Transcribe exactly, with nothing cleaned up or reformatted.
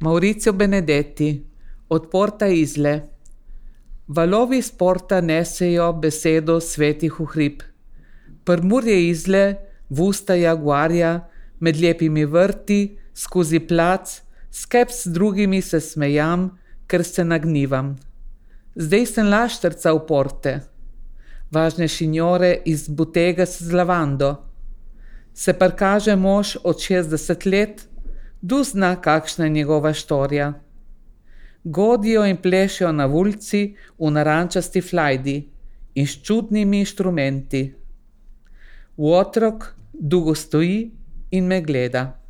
Maurizio Benedetti, od Porta Isle. Valovi s porta nesejo besedo svetih v hrib. Prmurje Izle, v usta jaguarja, med lepimi vrti, skozi plac, skep s drugimi se smejam, ker se nagnivam. Zdaj sem laštrca v porte. Važne šinjore iz butega s lavando. Se prikaže mož od šestdeset let, du zna, kakšna je njegova štorija. Godijo in plešejo na ulici v narančasti flajdi in s čudnimi inštrumenti. Otrok dolgo stoji in me gleda.